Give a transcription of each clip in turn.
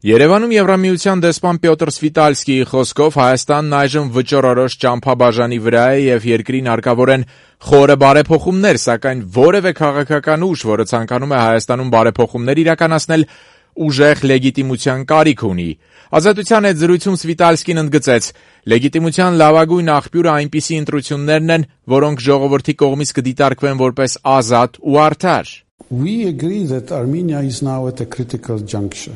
Երևանում Եվրամիության դեսպան Պյոտր Սվիտալսկիի խոսքով Հայաստանն այժմ վճռորոշ ճամփաբաժանի վրա է եւ երկրին հարկավոր են խորը բարեփոխումներ, սակայն որևէ քաղաքական ուժ, որը ցանկանում է Հայաստանում բարեփոխումներ իրականացնել, ուժեղ լեգիտիմության կարիք ունի։ Ազատության հետ զրույցում Սվիտալսկին ընդգծեց. լեգիտիմության լավագույն աղբյուրը այնպիսի ընտրություններն են, որոնք ժողովրդի կողմից կդիտարկվեն որպես ազատ ու արդար։ We agree that Armenia is now at a critical juncture.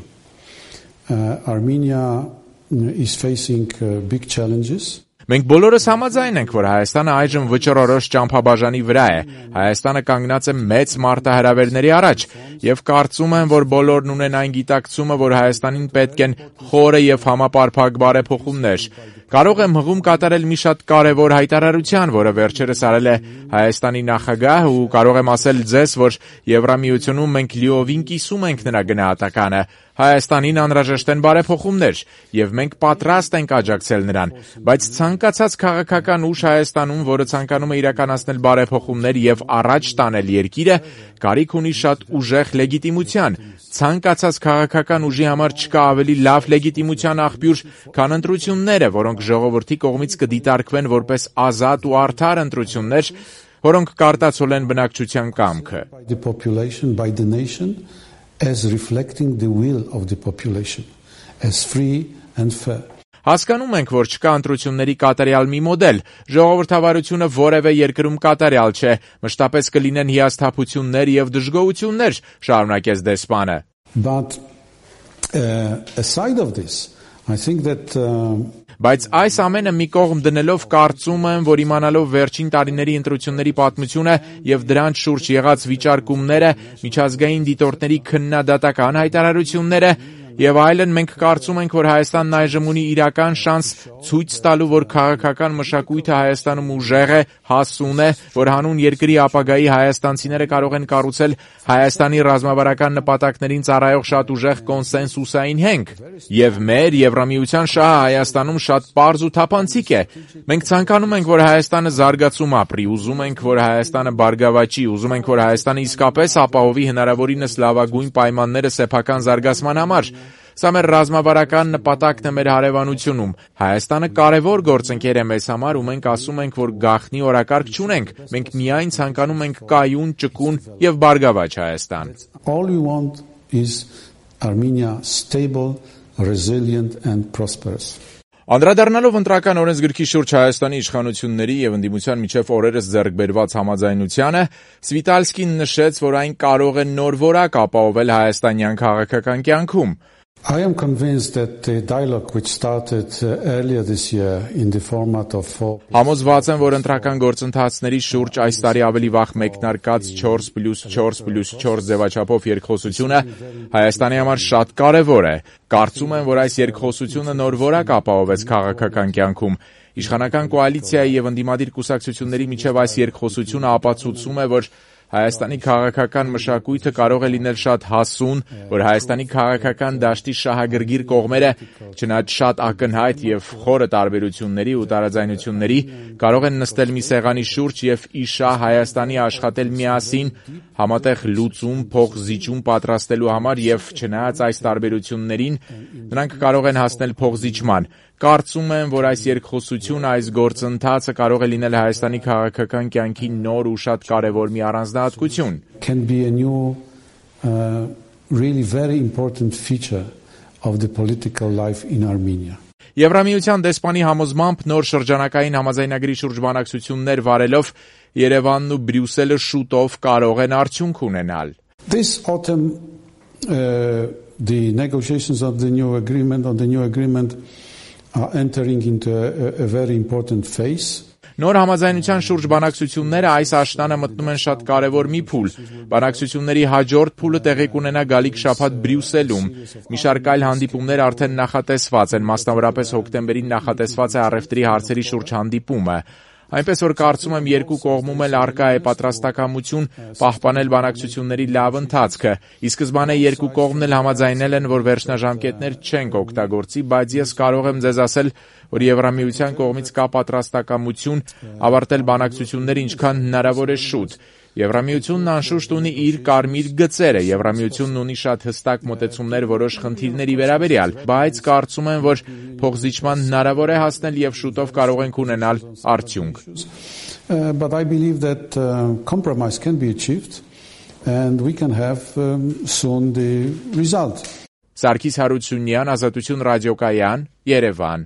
Armenia is facing big challenges. Մենք բոլորս համաձայն ենք, որ Հայաստանը այժմ վճռորոշ ճամփաբաժանի վրա է։ Հայաստանը կանգնած է մեծ մարտահրավերների առաջ եւ կարծում եմ, որ բոլորն ունեն այն գիտակցումը, որ Հայաստանին պետք են խորը եւ համապարփակ բարեփոխումներ։ Կարող եմ հղում կատարել մի շատ կարևոր հայտարարության, որը վերջերս արել է Հայաստանի նախագահ ու կարող եմ ասել ձեզ, որ Եվրամիությունում մենք լիովին կիսում ենք նրա գնահատականը։ Հայաստանին անհրաժեշտ են բարեփոխումներ եւ մենք պատրաստ ենք աջակցել նրան, բայց ցանկացած քաղաքական ուժ Հայաստանում, որը ցանկանում է իրականացնել բարեփոխումներ եւ առաջ տանել երկիրը, կարիք ունի շատ ուժեղ լեգիտիմության։ Ցանկացած քաղաքական ուժի համար չկա ավելի լավ լեգիտիմության աղբյուր, քան ընտրությունները, որոնք ժողովրդի կողմից կդիտարկվեն որպես ազատ ու արդար ընտրություններ, որոնք կարտացոլեն բնակչության կամքը։ As reflecting the will of the population, as free and fair. Հասկանում ենք, որ չկա ընտրությունների կատարյալ մի մոդել, ժողովրդավարությունը որևէ երկրում կատարյալ չէ, մշտապես կլինեն հիասթափություններ եւ դժգոհություններ, շարունակեց դեսպանը։ But aside of this, I think that Բայց այս ամենը մի կողմ դնելով կարծում եմ, որ իմանալով վերջին տարիների ընտրությունների պատմությունը եւ դրանց շուրջ եղած վիճարկումները, միջազգային դիտորդների քննադատական հայտարարությունները եւ այլն, մենք կարծում ենք, որ Հայաստանն այժմ ունի իրական շանս ցույց տալու, որ քաղաքական մշակույթը Հայաստանում ուժեղ է, հասուն է, որ հանուն երկրի ապագայի հայաստանցիները կարող են կառուցել Հայաստանի ռազմավարական նպատակներին ծառայող շատ ուժեղ կոնսենսուսային հենք։ Եվ մեր Եվրամիության շահը Հայաստանում շատ պարզ ու թափանցիկ է։ Մենք ցանկանում ենք, որ Հայաստանը զարգացում ապրի, ուզում ենք, որ Հայաստանը բարգավաճի, ուզում ենք, որ Հայաստանը իսկապես ապահովի հնարավորինս լավագույն պայմանները սեփական զարգացման համար։ Սա մեր ռազմավարական նպատակն է մեր հարևանությունում։ Հայաստանը կարևոր գործընկեր է մեզ համար ու մենք ասում ենք, որ գաղտնի օրակարգ չունենք։ Մենք միայն ցանկանում ենք կայուն, ճկուն եւ բարգավաճ Հայաստան։ All we want is Armenia stable, resilient and prosperous. Անդրադառնալով ընտրական օրենսգրքի շուրջ Հայաստանի իշխանությունների եւ ընդդիմության միջև օրերս ձեռք բերված համաձայնությանը, Սվիտալսկին նշեց, որ այն կարող է նոր որակ ապահովել հայաստանյան քաղաքական կյանքում։ I am convinced that the dialogue which started earlier this year in the format of Համոզված եմ, որ ընտրական գործընթացների շուրջ այս տարի ավելի վաղ մեկնարկած 4+4+4 ձևաչափով երկխոսությունը Հայաստանի համար շատ կարևոր է։ Կարծում եմ, որ այս երկխոսությունը նոր որակ ապահովեց քաղաքական կյանքում։ Իշխանական կոալիցիայի եւ ընդդիմադիր կուսակցությունների միջև այս երկխոսությունը ապացուցում է, որ Հայաստանի քաղաքական մշակույթը կարող է լինել շատ հասուն, որ Հայաստանի քաղաքական դաշտի շահագրգիռ կողմերը, չնայած շատ ակնհայտ եւ խորը տարբերությունների ու տարաձայնությունների, կարող են նստել մի սեղանի շուրջ եւ ի շահ Հայաստանի աշխատել միասին, համատեղ լուծում, փոխզիջում պատրաստելու համար եւ չնայած այս տարբերություններին, նրանք կարող են հասնել փոխզիջման։ Կարծում եմ, որ այս երկխոսությունը, այս գործընթացը կարող է լինել Հայաստանի քաղաքական կյանքի նոր ու շատ կարևոր մի առանձնահատկություն։ Can be a new really very important feature of the political life in Armenia. Եվրամիության դեսպանի համոզմամբ նոր շրջանակային համաձայնագրի շուրջ բանակցություններ վարելով Երևանն ու Բրյուսելը շուտով կարող են արդյունք ունենալ։ This autumn the negotiations of the new agreement are entering into a very important phase. Նոր համաձայնության շուրջ բանակցությունները այս աշնանը մտնում են շատ կարևոր մի փուլ։ Բանակցությունների հաջորդ փուլը տեղի կունենա գալիք շաբաթ Բրյուսելում։ Մի շարք այլ հանդիպումներ արդեն նախատեսված են, մասնավորապես հոկտեմբերին նախատեսված է առևտրի հարցերի շուրջ հանդիպումը։ Այնպես որ կարծում եմ երկու կողմում էլ առկա է պատրաստակամություն պահպանել բանակցությունների լավ ընթացքը։ Ի սկզբանե երկու կողմն էլ համաձայնել են, որ վերջնաժամկետներ չեն օգտագործի, բայց ես կարող եմ ձեզ ասել, որ Եվրամիության կողմից կա պատրաստակամություն ավարտել բանակցությունները ինչքան հնարավոր է շուտ։ Եվրամիությունն անշուշտ ունի իր կարմիր գծերը, Եվրամիությունն ունի շատ հստակ մոտեցումներ որոշ խնդիրների վերաբերյալ, բայց կարծում եմ, որ փոխզիջման հնարավոր է հասնել եւ շուտով կարող ենք ունենալ արդյունք։ But I believe that compromise can be achieved and we can have soon the result. Սարգիս Հարությունյան, Ազատություն ռադիոկայան, Երևան։